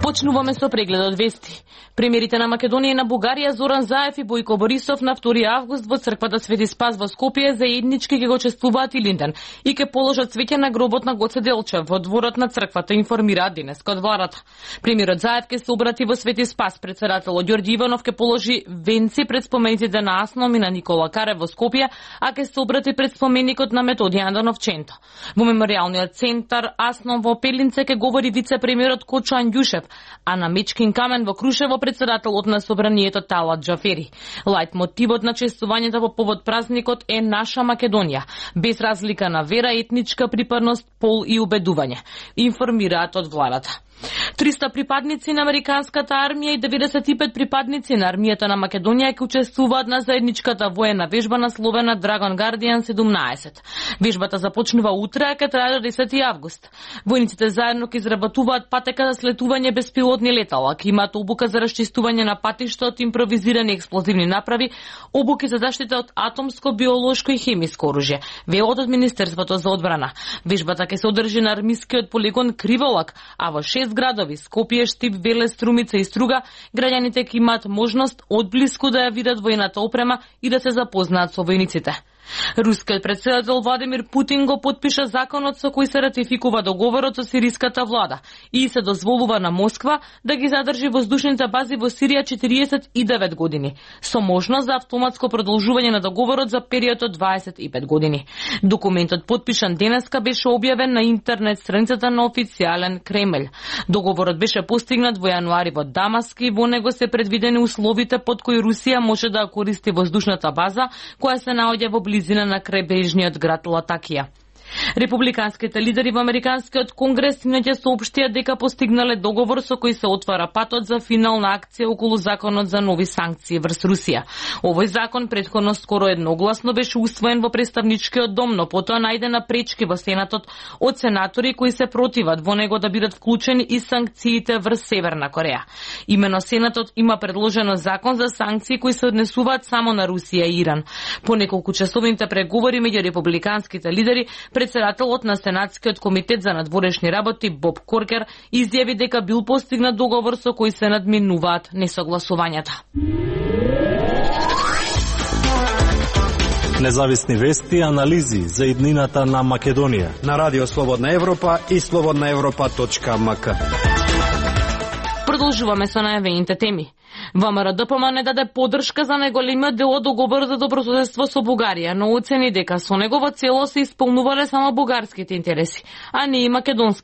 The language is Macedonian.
Почнуваме со прегледот вести. Премиерите на Македонија и на Бугарија Зоран Заев и Бојко Борисов на 2 август во црквата Свети Спас во Скопје заеднички ќе го чествуваат Илинден и ќе положат цвеќе на гробот на Гоце Делчев во дворот на црквата, информираат денеска од владата. Премиерот Заев ќе се обрати во Свети Спас, председателот Ѓорѓи Иванов ќе положи венци пред спомениците на Асном и на Никола Карев во Скопје, а ќе се обрати пред споменикот на Методија Андановченто. Во меморијалниот центар Асном во Пелинце ќе говори вице-премиерот Кочо Андјушев, а на Мечкин камен во Крушево председателот на собранието Талат Џафери. Лајт мотивот на чествувањето во повод празникот е наша Македонија, без разлика на вера, етничка припадност, пол и убедување, информираат од владата. 300 припадници на американската армија и 95 припадници на армијата на Македонија ќе учествуваат на заедничката воена вежба насловена Dragon Guardian 17. Вежбата започнува утре, а ќе трае до 10 август. Војниците заедно ќе изработуваат патека за слетување беспилотни летала, ќе имаат обука за расчистување на патишта од импровизирани експлозивни направи, обуки за заштита од атомско, биолошко и хемиско оружје, велат од Министерството за одбрана. Вежбата ќе се одржи на армискиот полигон Криволак, а во 6 градови Скопје, Штип, Велес, Струмица и Струга, граѓаните ќе имаат можност одблиску да ја видат војната опрема и да се запознаат со војниците. Рускиот председател Владимир Путин го потпиша законот со кој се ратификува договорот со сириската влада и се дозволува на Москва да ги задржи воздушните бази во Сирија 49 години, со можност за автоматско продолжување на договорот за период од 25 години. Документот потпишан денеска беше објавен на интернет страницата на официјален Кремљ. Договорот беше постигнат во јануари во Дамаск и во него се предвидени условите под кои Русија може да користи воздушната база која се наоѓа во близина на крајбрежниот град Латакија. Републиканските лидери во Американскиот конгрес инаќе соопштија дека постигнале договор со кој се отвара патот за финална акција околу законот за нови санкции врз Русија. Овој закон претходно скоро едногласно беше усвоен во представничкиот дом, но потоа најдена пречки во Сенатот од сенатори кои се противат во него да бидат вклучени и санкциите врз Северна Кореја. Имено Сенатот има предложено закон за санкции кои се однесуваат само на Русија и Иран. По неколку часовните преговори меѓу републиканските лидери, председателот на Сенатскиот комитет за надворешни работи Боб Коркер изјави дека бил постигнат договор со кој се надминуваат несогласувањата. Независни вести и анализи за иднината на Македонија на Радио Слободна Европа и slobodnaevropa.mk. Продолжуваме со најавените теми. ВМРО-ДПМ не даде поддршка за најголемиот дел од договорот за добрососедство со Бугарија, но оцени дека со него во целост се исполнувале само бугарските интереси, а не и македонски.